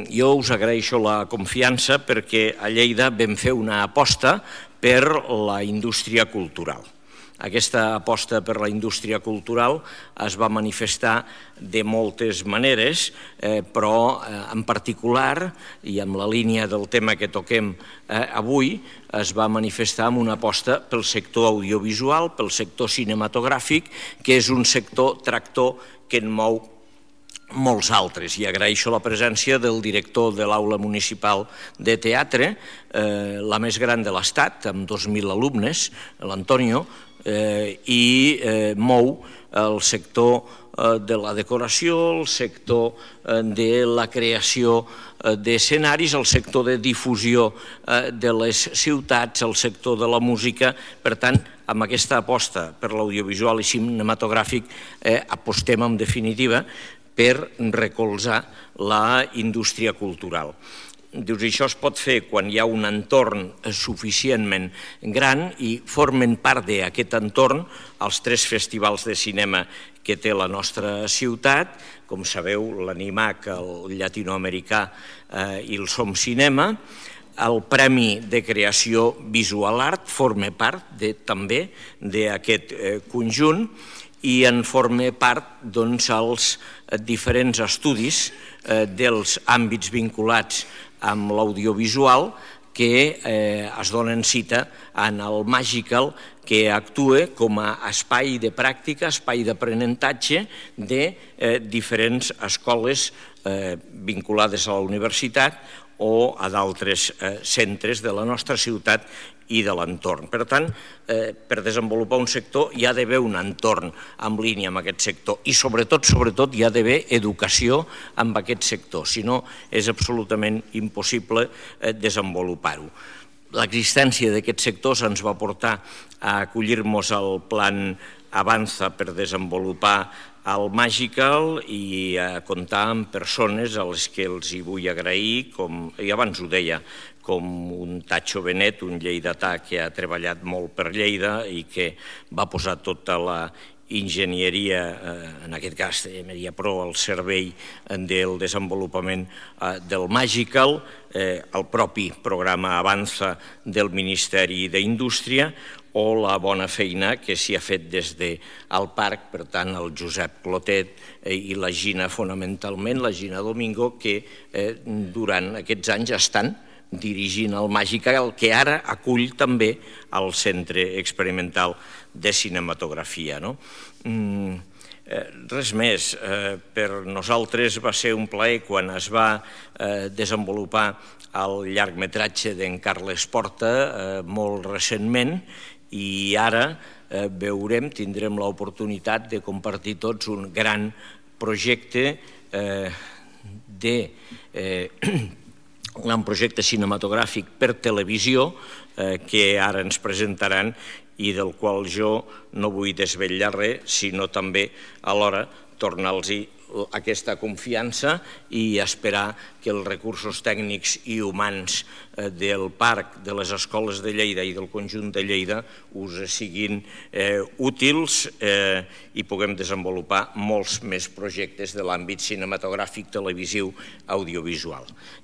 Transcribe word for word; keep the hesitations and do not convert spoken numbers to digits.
jo us agraeixo la confiança perquè a Lleida vam fer una aposta per la indústria cultural. Aquesta aposta per la indústria cultural es va manifestar de moltes maneres, però en particular, i amb la línia del tema que toquem avui, es va manifestar amb una aposta pel sector audiovisual, pel sector cinematogràfic, que és un sector tractor que en mou molts altres. I agraeixo la presència del director de l'Aula Municipal de Teatre, la més gran de l'Estat, amb dos mil alumnes, l'Antonio, i mou el sector de la decoració, el sector de la creació d'escenaris, el sector de difusió de les ciutats, el sector de la música. Per tant, amb aquesta aposta per l'audiovisual i cinematogràfic apostem en definitiva per recolzar la indústria cultural. Dius, això es pot fer quan hi ha un entorn suficientment gran i formen part d'aquest entorn els tres festivals de cinema que té la nostra ciutat, com sabeu, l'Animac, el llatinoamericà i el Som Cinema. El Premi de Creació Visual Art forma part també d'aquest conjunt i en forma part els diferents estudis dels àmbits vinculats amb l'audiovisual que es donen cita en el Magical, que actua com a espai de pràctica, espai d'aprenentatge de diferents escoles vinculades a la universitat o a d'altres centres de la nostra ciutat i de l'entorn. Per tant, per desenvolupar un sector hi ha d'haver un entorn en línia amb aquest sector i sobretot, sobretot, hi ha d'haver educació amb aquest sector, si no és absolutament impossible desenvolupar-ho. L'existència d'aquests sectors ens va portar a acollir-nos al plan Avanza per desenvolupar el Magical i a comptar amb persones a les que els hi vull agrair, com i abans ho deia, com un Tacho Benet, un lleidatà que ha treballat molt per Lleida i que va posar tota la enginyeria, en aquest cas de Mediapro, al servei del desenvolupament del Magical, el propi programa Avanza del Ministeri d'Indústria o la bona feina que s'hi ha fet des del parc, per tant, el Josep Clotet i la Gina, fonamentalment, la Gina Domingo, que durant aquests anys estan dirigint el Magical, que ara acull també el Centre Experimental de Cinematografia. Res més. Per nosaltres va ser un plaer quan es va desenvolupar el llargmetratge d'en Carles Porta molt recentment i ara veurem, tindrem l'oportunitat de compartir tots un gran projecte de un projecte cinematogràfic per televisió que ara ens presentaran i del qual jo no vull desvetllar res, sinó també alhora tornar-los aquesta confiança i esperar que els recursos tècnics i humans del parc, de les escoles de Lleida i del conjunt de Lleida us siguin útils i puguem desenvolupar molts més projectes de l'àmbit cinematogràfic, televisiu, audiovisual.